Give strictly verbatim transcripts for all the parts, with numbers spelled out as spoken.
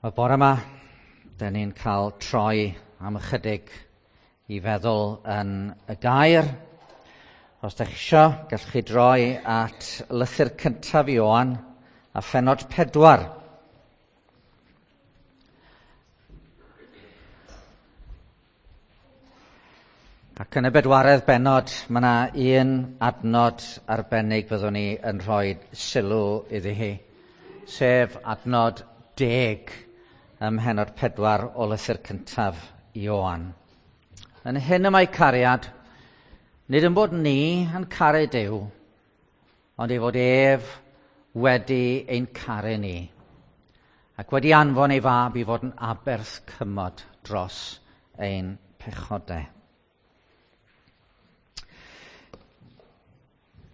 Y bore yma, dyn ni'n cael troi am ychydig i feddwl yn y gair. Os ydych chi isio, gallwch chi droi at lythyr cyntaf Ioan a phennod pedwar. Ac yn y bedwaredd bennod, mae yna un adnod arbennig fyddwn ni yn rhoi sylw iddi hi, sef adnod deg ym mhennod pedwar o lythyr cyntaf Ioan. Yn hyn y mae cariad, nid yn bod ni yn caru Duw, ond ei fod ef wedi ein caru ni, ac wedi anfon ei fab i fod yn aberth cymod dros ein pechodau.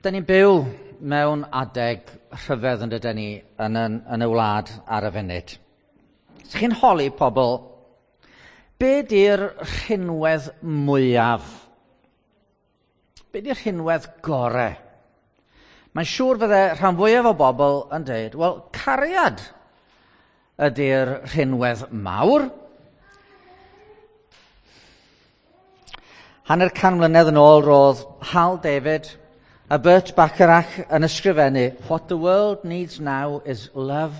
Dyn ni'n byw mewn adeg rhyfedd yn dydyn ni yn, yn, yn y wlad ar y funud. Os chi'n holi pobl, be di'r rhinwedd mwyaf? Be di'r rhinwedd gore? Mae'n siŵr fydde rhan fwyaf o bobl yn dweud, wel, cariad ydy'r rhinwedd mawr. Hanner can mlynedd yn ôl roedd Hal David a Burt Bacharach yn ysgrifennu, "What the world needs now is love,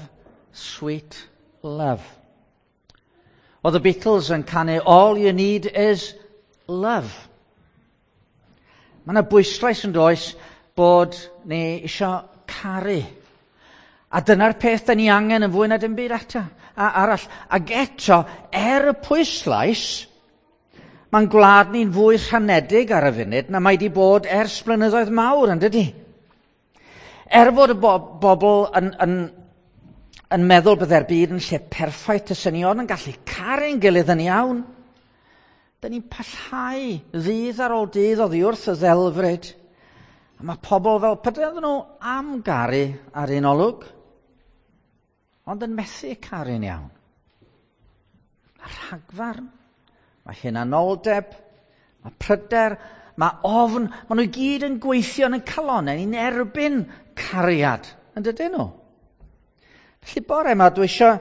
sweet love." Oedd y Beatles yn canu, "All you need is love." Mae yna bwyslais yn does bod ni isio caru. A dyna'r peth da ni angen yn fwy na dim byd eto, a arall. Ac eto, er y pwyslais, mae'n gwlad ni'n fwy rhanedig ar y funud na mae wedi bod ers blynyddoedd mawr, yn dydi? Er fod y bo- bobl yn, yn, yn meddwl byddai'r byd yn lle perffaith y synion yn gallu caru'n gilydd yn iawn, dyn ni'n pellhau ddydd ar ôl dydd oddi wrth y ddelfryd. A mae pobl fel, pryd nhw am garu ar un olwg, ond yn methu caru'n iawn. Mae rhagfarn, mae hunanoldeb, mae pryder, mae ofn, maen nhw i gyd yn gweithio yn y calonnau ni'n erbyn cariad, yn dydyn nhw? Felly bore yma, dwi isio,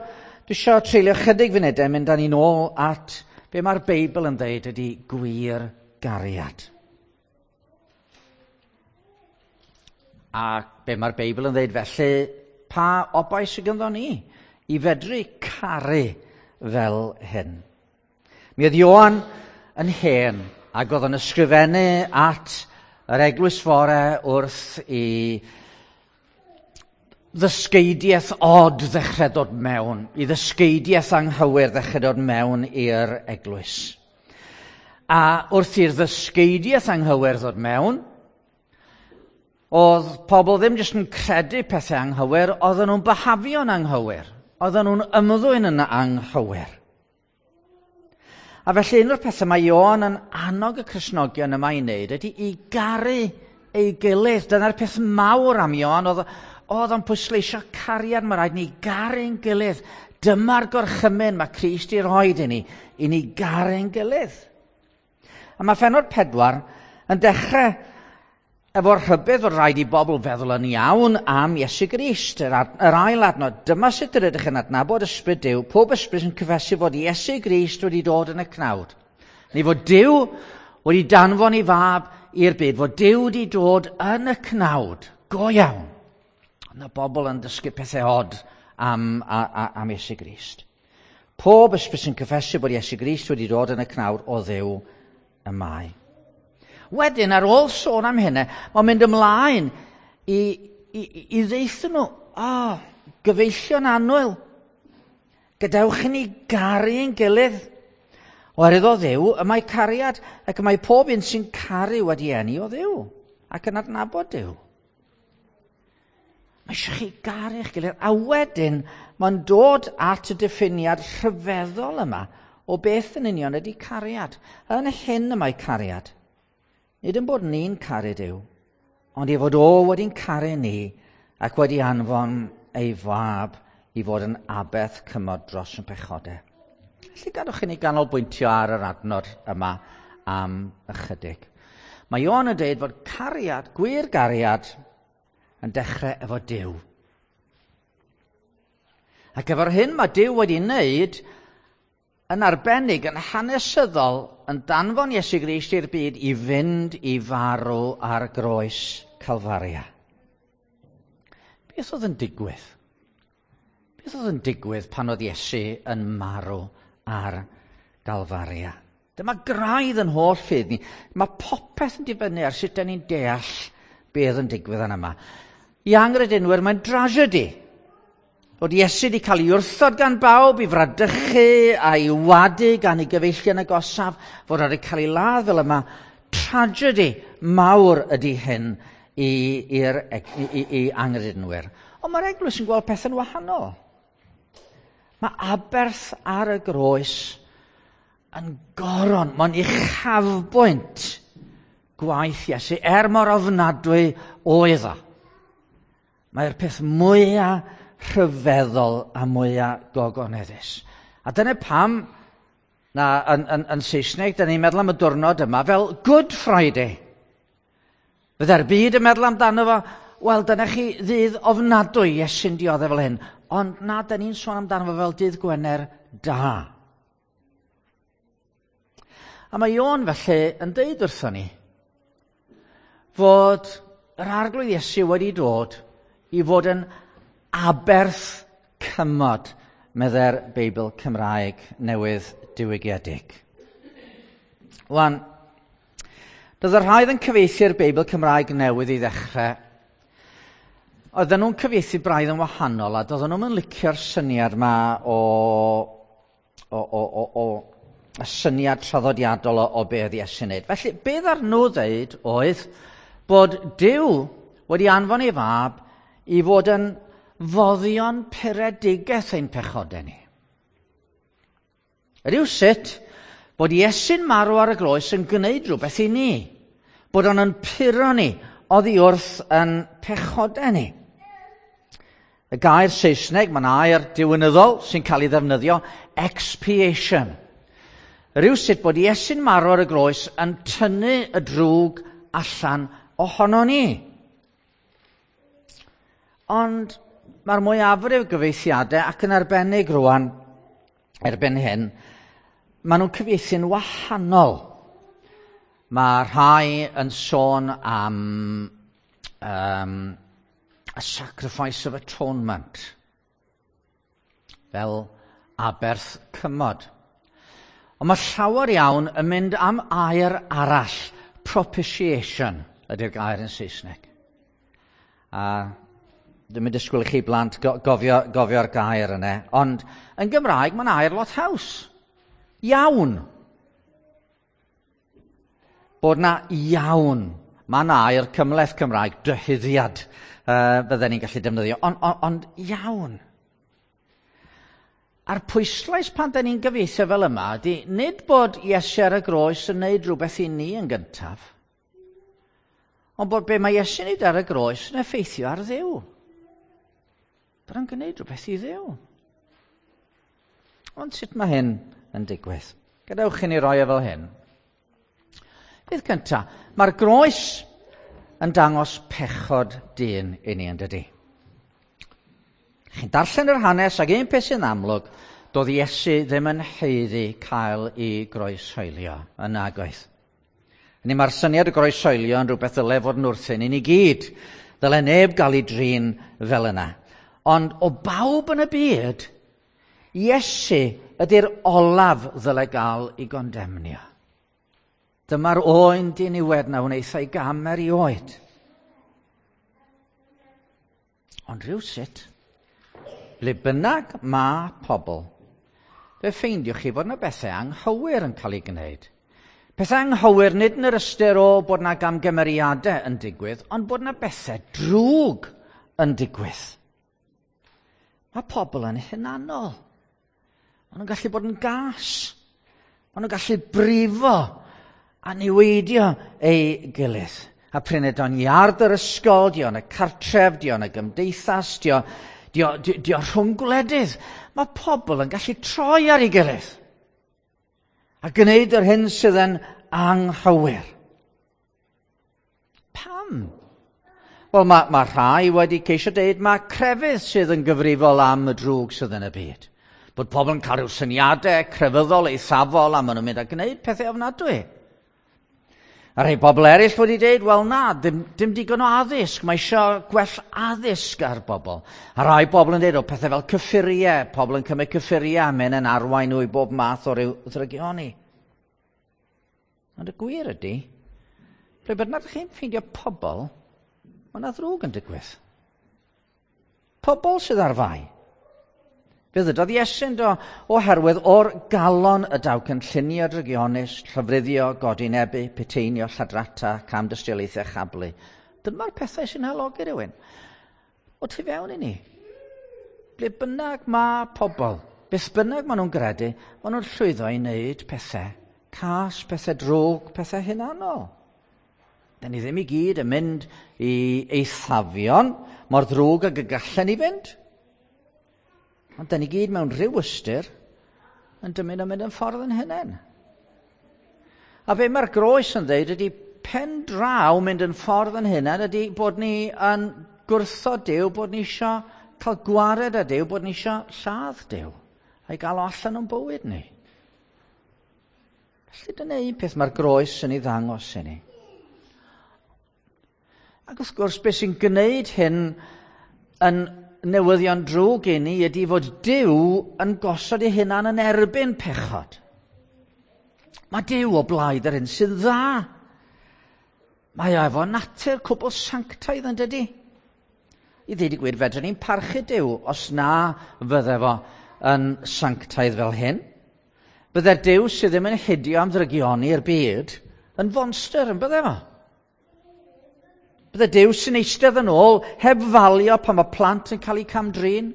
dwi isio treulio chydig funudau mynd â ni'n ôl at be mae'r Beibl yn dweud ydy gwir gariad. A be mae'r Beibl yn dweud felly, pa obaith sydd ganddo ni i fedru caru fel hyn? Mi oedd Ioan yn hen ac oedd yn ysgrifennu at yr eglwys fore wrth i ddysgeidiaeth od ddechrau dod mewn, i ddysgeidiaeth anghywir ddechrau dod mewn i'r eglwys. A wrth i'r ddysgeidiaeth anghywir ddod mewn, oedd pobl ddim jyst yn credu pethau anghywir, oedden nhw'n byhafio'n anghywir, oedden nhw'n ymddwyn yn anghywir. A felly un o'r pethau mae Ioan yn annog y Cristnogion yma i wneud ydy i garu ei gilydd. Dyna'r peth mawr am Ioan, oedd, oedd o'n pwysleisio cariad, mae rhaid ni garu'n gilydd. Dyma'r gorchymyn mae Crist i roed i ni, i ni garu'n gilydd. A mae phennod pedwar yn dechrau efo'r rhybudd fod rhaid i bobl feddwl yn iawn am Iesu Grist. Yr, ad, yr ail adnod, dyma sut yr ydych yn adnabod ysbryd Duw, pob ysbryd sy'n cyffesu fod Iesu Grist wedi dod yn y cnawd. Neu fod Duw wedi danfon ei fab i'r byd, fod Duw wedi dod yn y cnawd, go iawn. Yna bobl yn dysgu pethau od am, a, a, am Iesu Grist. Pob ysbryd sy'n cyffesu bod Iesu Grist wedi dod yn y cnawd o Dduw y mae. Wedyn, ar ôl sôn am hynny, mae'n mynd ymlaen i, i, i ddeithio nhw, o, oh, gyfeillion annwyl, gadewch i ni garu ein gilydd. Oherwydd o Dduw, y mae cariad, ac y mae pob un sy'n caru wedi eni o Dduw, ac yn adnabod Duw. Mae eisiau chi garu eich gilydd. A wedyn, mae'n dod at y diffiniad rhyfeddol yma o beth yn union ydy cariad. Yn hyn y mae cariad. Nid yn bod ni'n caru Duw, ond ei fod o wedi'n caru ni ac wedi anfon ei fab i fod yn aberth cymod dros yn pechodau. Felly gadwch i ni ganolbwyntio ar yr adnod yma am ychydig. Mae Ioan yn dweud fod cariad, gwir gariad, yn dechrau efo Duw. Ac efo'r hyn mae Duw wedi wneud yn arbennig, yn hanesyddol, yn danfon Iesu Grist i'r byd i fynd i farw ar groes Calfaria. Beth oedd yn digwydd? Beth oedd yn digwydd pan oedd Iesu yn marw ar Galfaria? Dyma graidd yn holl ffydd ni. Mae popeth yn dibynnu ar sut dan ni'n deall beth yn digwydd yn yma. I angredinwyr, mae'n drasiedi. Bod Iesu wedi cael ei wrthod gan bawb, i fradychu a'i wadu gan ei gyfeillion agosaf, fod wedi cael ei ladd fel yma. Tragedy mawr ydy hyn i, i'r, i, i, i angredinwyr. Ond mae'r eglwys yn gweld pethau'n wahanol. Mae aberth ar y groes yn goron, mae'n uchafbwynt gwaith Iesu, er mor ofnadwy oedd o. Mae'r peth mwyaf rhyfeddol a mwyaf gogoneddus. A dyna pam, na, yn, yn, yn Saesneg, dyna ni'n meddwl am y diwrnod yma fel Good Friday. Fydde'r byd yn meddwl amdano fo, wel, dyna chi ddydd ofnadwy Iesu'n dioddef fel hyn. Ond na, da ni'n sôn amdano fo fel dydd Gwener da. A mae Ion felly yn deud wrthon ni fod yr Arglwydd Iesu wedi dod i fod yn aberth cymod, meddai'r Beibl Cymraeg newydd diwygiedig. Wan, doedd y rhai oedd yn cyfieithu'r Beibl Cymraeg newydd i ddechrau, oedden nhw'n cyfieithu braidd yn wahanol, a doedden nhw'n licio'r syniad yma o, o, o, o, o y syniad traddodiadol o, o be oedd Iesu'n wneud. Felly, be ddaru nhw ddeud oedd bod Duw wedi anfon ei fab i fod yn foddion puredigaeth ein pechodau ni. Rywsut bod Iesu'n marw ar y groes yn gwneud rhywbeth i ni, bod o'n yn puro ni oddi wrth yn pechodau ni. Y gair Saesneg, mae'n air diwinyddol sy'n cael ei ddefnyddio, expiation. Rywsut bod Iesu'n marw ar y groes yn tynnu y drwg allan ohono ni. Ond mae'r mwyafrif gyfieithiadau, ac yn arbennig rwan erbyn hyn, maen nhw'n cyfieithu'n wahanol. Mae rhai yn sôn am um, a sacrifice of atonement, fel aberth cymod. Ond mae llawer iawn yn mynd am air arall, propitiation ydy'r gair yn Saesneg. A dwi'n mynd disgwyl i chi blant gofio, gofio'r gair yna, ond yn Gymraeg mae'n air lot haws. Iawn. Bod na iawn. Mae'n air cymhleth Cymraeg, dyhuddiad, uh, bydden ni'n gallu defnyddio, ond on, ond iawn. A'r pwyslais pan da ni'n gyfieithu fel yma ydy nid bod Iesu ar y groes yn neud rhywbeth i ni yn gyntaf, ond bod be mae Iesu'n neud ar y groes yn effeithio ar Dduw. Bod o'n gwneud rhywbeth i Dduw. Ond sut mae hyn yn digwydd? Gadewch i ni roi e fel hyn. Beth cyntaf, mae'r groes yn dangos pechod dyn i ni, yn dydy? Chi'n darllen yr hanes, ac un peth sy'n amlwg, doedd Iesu ddim yn haeddu cael ei groeshoelio yn nagoedd. Hynny mae'r syniad o groeshoelio yn rhywbeth ddyle fod yn wrthyn i ni gyd. Ddyle neb gael ei drin fel yna. Ond o bawb yn y byd, Iesu ydy'r olaf ddyle gael ei gondemnio. Dyma'r oen diniwed na wnaeth ei gam erioed. Ond rhywsut, ble bynnag mae pobl, fe ffeindiwch chi fod yna bethau anghywir yn cael ei gwneud. Pethau anghywir nid yn yr ystyr o bod yna gamgymeriadau yn digwydd, ond bod yna bethau drwg yn digwydd. Mae pobl yn hunanol. Maen nhw'n gallu bod yn gas. Maen nhw'n gallu brifo a niweidio ei gilydd. A prin ydy o'n iard yr ysgol, di o'n y cartref, di o'n y gymdeithas, di o'n di o, di, di o rhwng gwledydd. Mae pobl yn gallu troi ar ei gilydd a gwneud yr hyn sydd yn anghywir. Pam? Wel, mae, mae rhai wedi ceisio deud mae crefydd sydd yn gyfrifol am y drwg sydd yn y byd. Bod pobl yn cael rhyw syniadau crefyddol eithafol a maen nhw'n mynd a gwneud pethau ofnadwy. A rhai bobl eraill wedi dweud, wel na, dim, dim digon o addysg, mae eisiau gwell addysg ar bobl. A rhai bobl yn dweud, o pethau fel cyffuriau, pobl yn cymryd cyffuriau a mynd yn arwain nhw i bob math o ryw ddrygioni. Ond y gwir ydy, ble bynnag chi'n ffeindio pobl, mae yna ddrwg yn digwydd. Pobl sydd ar fai. Fe ddydodd Iesu'n do, oherwydd o'r galon y daw cynllunio drygionus, llofruddio, godinebu, piteinio, lladrata, camdystiolaethau, chablu. Dyma'r pethau sy'n halogi rhywun. O tu fewn i ni. Ble bynnag mae pobl, beth bynnag maen nhw'n gredu, maen nhw'n llwyddo i wneud pethau cas, pethau drwg, pethau hunanol. Da ni ddim i gyd yn mynd i eithafion mor ddrwg ag y gallen ni fynd. Ond da ni gyd mewn rhyw ystyr yn dymuno mynd yn ffordd yn hunain. A be mae'r groes yn dweud ydy pen draw mynd yn ffordd yn hunain ydy bod ni yn gwrthod Duw, bod ni eisiau cael gwared â Duw, bod ni eisiau lladd Duw a'i gael o allan o'n bywyd ni. Felly dyna un peth mae'r groes yn ei ddangos i ni. Ac wrth gwrs, beth sy'n gwneud hyn yn newyddion drwg i ni ydy fod Duw yn gosod ei hunan yn erbyn pechod. Mae Duw o blaid yr hyn sydd dda. Mae o efo natur cwbl sanctaidd yn dydy. I ddweud y gwir, fedrwn ni'n parchu Duw os na fydde fo yn sanctaidd fel hyn. Bydde'r Duw sydd ddim yn hidio am ddrygioni i'r byd yn fonster yn bydde fo. Bydde Duw sy'n eistedd yn ôl heb falio pan mae plant yn cael eu camdrin,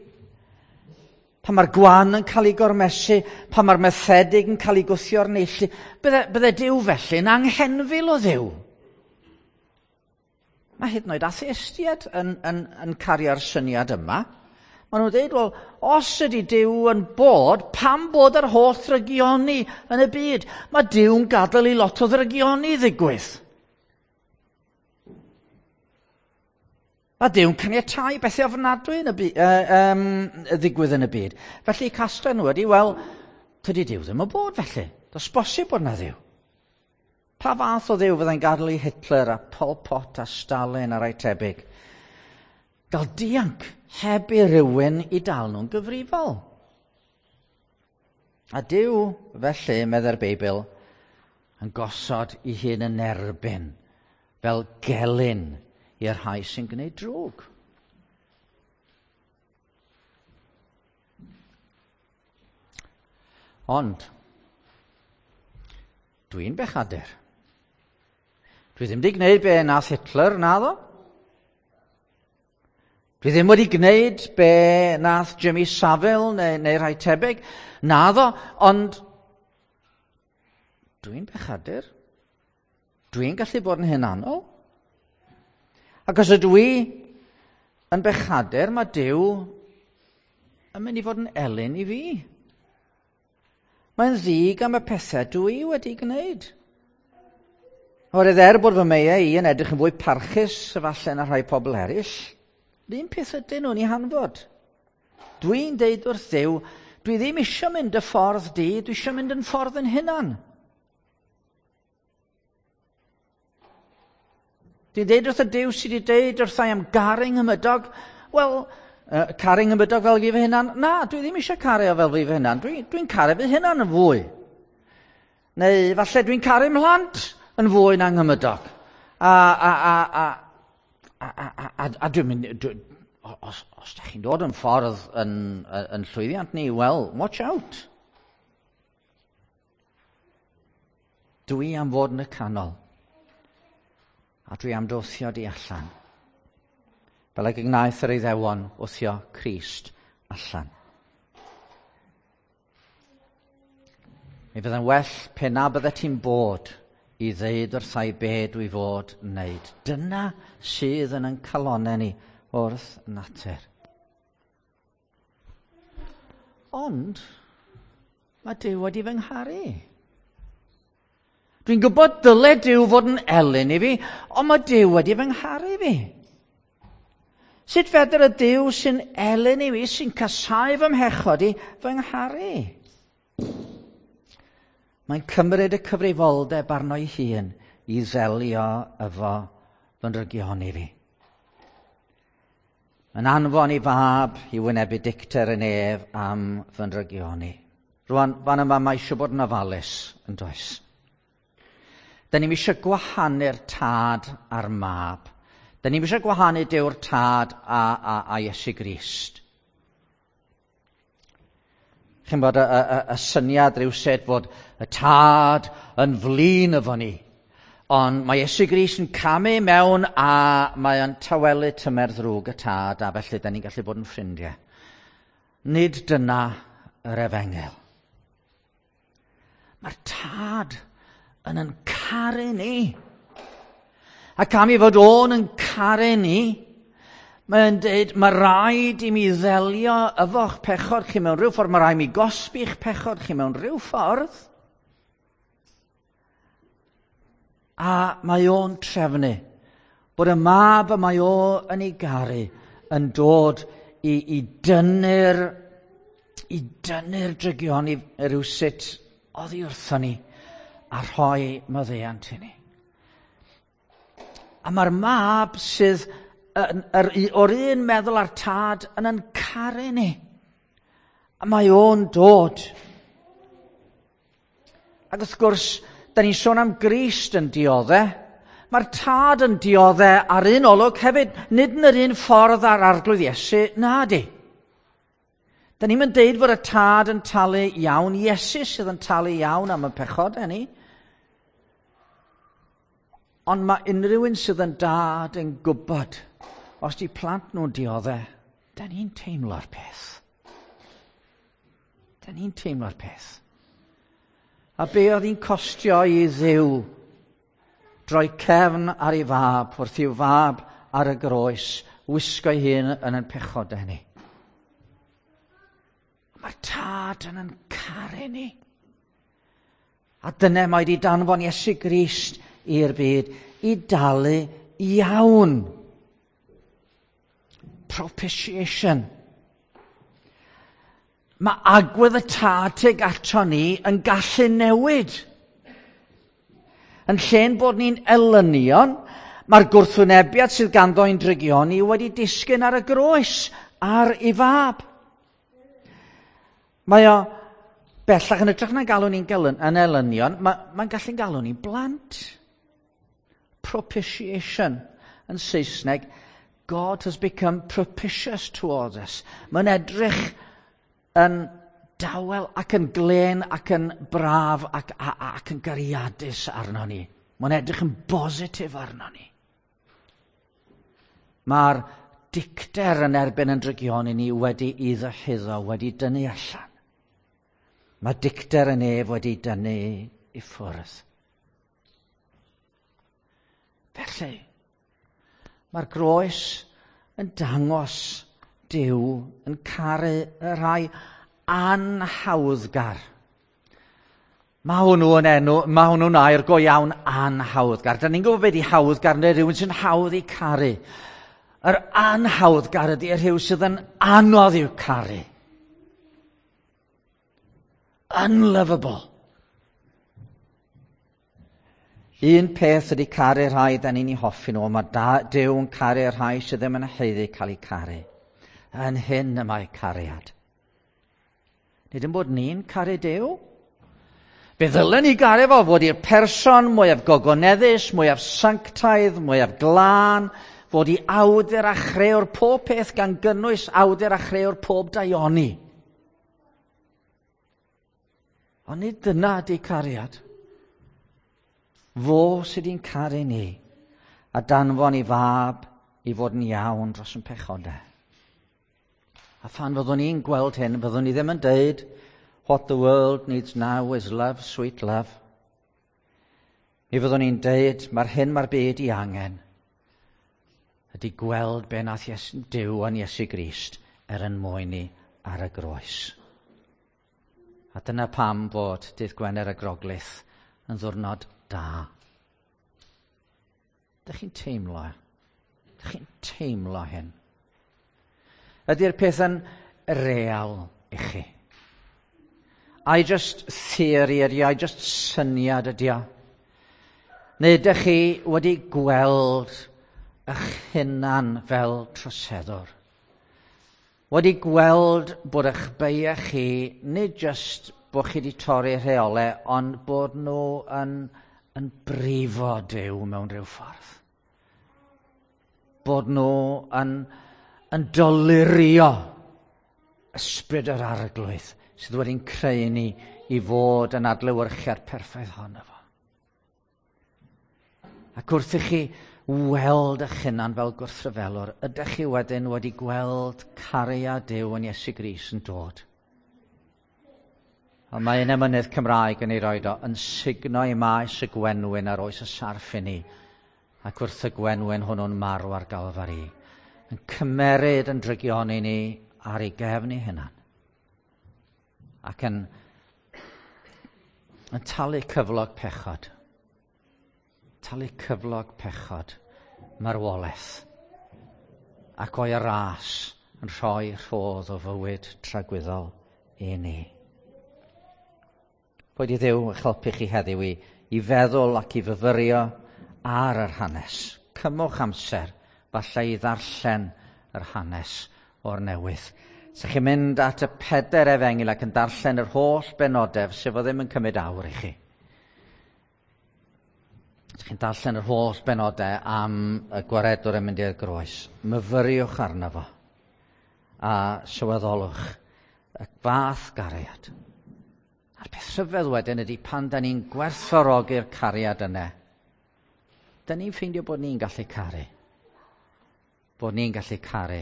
pan mae'r gwan yn cael ei gormesu, pan mae'r methedig yn cael ei gwthio'r neilltu. Bydde, bydde Duw felly yn anghenfil o Dduw. Mae hyd yn oed atheistiaid yn, yn, yn cario'r syniad yma. Maen nhw'n dweud, wel, os ydy Duw yn bod, pam bod yr holl ddrygioni yn y byd? Mae Duw'n gadael i lot o ddrygioni ddigwydd. Mae Duw'n caniatáu bethau ofnadwy yn y byd, uh, um, ddigwydd yn y byd. Felly casglu nhw ydy, wel, tydi Duw ddim yn bod felly. Does bosib bod na Dduw. Pa fath o Dduw fyddai'n gadael i Hitler a Pol Pot a Stalin a rai tebyg? Gael dianc heb i rywun i dal nhw'n gyfrifol. A Duw, felly, meddai'r Beibl, yn gosod ei hun yn erbyn fel gelyn i'r rhai sy'n gwneud drwg. Ond, dwi'n bechadur. Dwi ddim wedi gwneud be nath Hitler, naddo. Dwi ddim wedi gwneud be nath Jimmy Savile neu, neu rhai tebyg, naddo, ond dwi'n bechadur. Dwi'n gallu bod yn hunanol. Ac os ydw i yn bechadur, mae Duw yn mynd i fod yn elyn i fi. Mae'n ddig am y pethau dwi wedi gwneud. Oherwydd er bod fy meiau i yn edrych yn fwy parchus efallai na rhai pobl eraill, yr un peth ydyn nhw'n ei hanfod. Dwi'n deud wrth Dduw, dwi ddim eisiau mynd y ffordd di, dwi eisiau mynd yn ffordd yn hunan. Dwi'n deud wrth y Duw sydd wedi deud wrthai am garu nghymydog, wel, uh, caru nghymydog fel fi fy hunan, na, dwi ddim eisiau caru o fel fi fy hunan, dwi'n dwi caru fy hunan yn fwy. Neu falle dwi'n caru mhlant yn fwy na nghymydog. A, a, a, a, a, a, a, a, a dwi'n mynd, dwi, os, os da chi'n dod yn ffordd yn, yn llwyddiant ni, wel, watch out. Dwi am fod yn y canol. A dwi am dwthio di allan. Fel ag y gwnaeth yr Iddewon wthio Crist allan. Mi fydda'n well pe na byddet ti'n bod i ddeud wrthai be dwi fod wneud. Dyna sydd yn ein calonnau ni wrth natur. Ond mae Duw wedi fy ngharu. Dwi'n gwybod dyle Duw fod yn elyn i fi, ond mae Duw wedi fy ngharu fi. Sut fedr y Duw sy'n elyn i fi, sy'n casáu fy mhechod i, fy ngharu? Mae'n cymryd y cyfrifoldeb arno ei hun i ddelio efo fy ndrygioni fi. Mae'n anfon ei fab i wynebu dicter y nef am fy ndrygioni. Rwan, fan yma mae eisiau bod yn ofalus, yn does? Da ni'm eisiau gwahanu'r tad a'r mab. Da ni'm eisiau gwahanu Duw'r tad a, a, a Iesu Grist. Chi'n bod y, y, y syniad rhywsut fod y tad yn flin efo ni. Ond mae Iesu Grist yn camu mewn a mae o'n tawelu tymer ddrwg y tad, a felly da ni'n gallu bod yn ffrindiau. Nid dyna yr efengyl. Mae'r tad yn yn caru ni. Ac am i fod o'n yn caru ni, mae'n dweud, mae rhaid i mi ddelio efo'ch pechod chi mewn rhyw ffordd, mae rhaid i mi gosbi'ch pechod chi mewn rhyw ffordd. A mae o'n trefnu bod y mab y mae o yn ei garu yn dod i, i dynnu'r i dynnu'r drygion i rywsut oddi wrthon ni a rhoi maddeuant i ni. A mae'r mab sydd yn, yr, o'r un meddwl a'r tad yn yn caru ni. A mae o'n dod. Ac wrth gwrs, da ni'n sôn am Grist yn dioddau. Mae'r tad yn dioddau ar un olwg hefyd, nid yn yr un ffordd â'r Arglwydd Iesu, na di. Da ni'n mynd deud fod y tad yn talu iawn, Iesu sydd yn talu iawn am y pechodau ni. Ond mae unrhyw un sydd yn dad yn gwybod, os di plant nhw'n dioddau, da ni'n teimlo'r peth. Da ni'n teimlo'r peth. A be oedd hi'n costio i Dduw droi cefn ar ei fab, wrth i'w fab ar y groes, wisgo ei hun yn ein pechodau ni. Mae'r tad yn yn caru ni. A dyna mae wedi danfon Iesu Grist i'r byd i dalu iawn. Propitiation. Mae agwedd y tad tuag ato ni yn gallu newid. Yn lle'n bod ni'n elynion, mae'r gwrthwynebiad sydd ganddo i'n drygion ni wedi disgyn ar y groes, ar ei fab. Mae o bellach yn hytrach na galw ni'n gelyn, yn elynion, mae, mae'n gallu galw ni'n blant. Propitiation yn Saesneg, God has become propitious towards us. Mae'n edrych yn dawel ac yn glên ac yn braf ac, a, ac yn gariadus arno ni. Mae'n edrych yn bositif arno ni. Mae'r dicter yn erbyn yn drygion i ni wedi i ddyhuddo, wedi dynnu allan. Mae dicter yn ef wedi dynnu i ffwrdd. Felly, mae'r groes yn dangos Duw yn caru y rhai anhawddgar. Mae hwnnw yn enw, mae hwnnw'n air go iawn anhawddgar. Da ni'n gwybod beth i hawddgar neu rhywun sy'n hawdd i caru. Yr anhawddgar ydy y rhyw sydd yn anodd i'w caru. Unlovable. Un peth ydy caru rhai da ni'n ei hoffi nhw, mae Duw yn caru rhai sydd ddim yn haeddu cael eu caru. Yn hyn y mae cariad. Nid yn bod ni'n caru Duw. Fe ddylen ni garu fo fod i'r person mwyaf gogoneddus, mwyaf sanctaidd, mwyaf glân, fod i awdur a chreuwr pob peth gan gynnwys awdur a chreuwr pob daioni. Ond nid dyna ydy cariad. Fo sydd wedi'n caru ni a danfon ei fab i fod yn iawn dros yn pechodau. A phan fyddwn ni'n gweld hyn, fyddwn ni ddim yn deud, what the world needs now is love, sweet love. Mi fyddwn ni'n deud, mae'r hyn mae'r byd i angen, ydy gweld be nath Iesu, Duw yn Iesu Grist er yn mwyn ni ar y groes. A dyna pam fod dydd Gwener y Groglith yn ddiwrnod da. Dych chi'n teimlo? Dych chi'n teimlo hyn? Ydy'r peth yn real i chi? Ai just theory ydy o, ai just syniad ydy o? Neu ydych chi wedi gweld eich hunan fel troseddwr? Wedi gweld bod eich beiau chi, nid just bod chi wedi torri rheolau, ond bod nhw yn, yn brifo Duw mewn rhyw ffordd. Bod nhw yn, yn dolurio ysbryd yr Arglwydd sydd wedi'n creu ni i fod yn adlewyrchiad perffaith ohono fo. Ac wrth i chi weld eich hunan fel gwrthryfelwr, ydych chi wedyn wedi gweld cariad Duw yn Iesu Grist yn dod? Ond mae un emynydd Cymraeg yn ei roed o yn sugno i maes y gwenwyn ar oes y sarff i ni, ac wrth y gwenwyn hwnnw'n marw ar Galfari, yn cymeryd yn drygioni ni ar ei gefn ei hunan, ac yn, yn talu cyflog pechod, talu cyflog pechod, marwolaeth, ac o'i ras yn rhoi rhodd o fywyd tragwyddol i ni. Boed i Dduw eich helpu chi heddiw i, i feddwl ac i fyfyrio ar yr hanes. Cymwch amser, falle i ddarllen yr hanes o'r newydd. Sa chi'n mynd at y peder efengyl ac yn darllen yr holl benodau, sef o ddim yn cymryd awr i chi. Sa chi'n darllen yr holl benodau am y gwaredwr yn mynd i'r groes. Myfyriwch arno fo a sylweddolwch y fath gariad. A'r peth rhyfedd wedyn ydy pan da ni'n gwerthfawrogi'r cariad yna, da ni'n ffeindio bod ni'n gallu caru. Bod ni'n gallu caru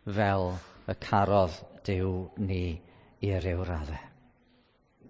fel y carodd Duw ni i ryw raddau.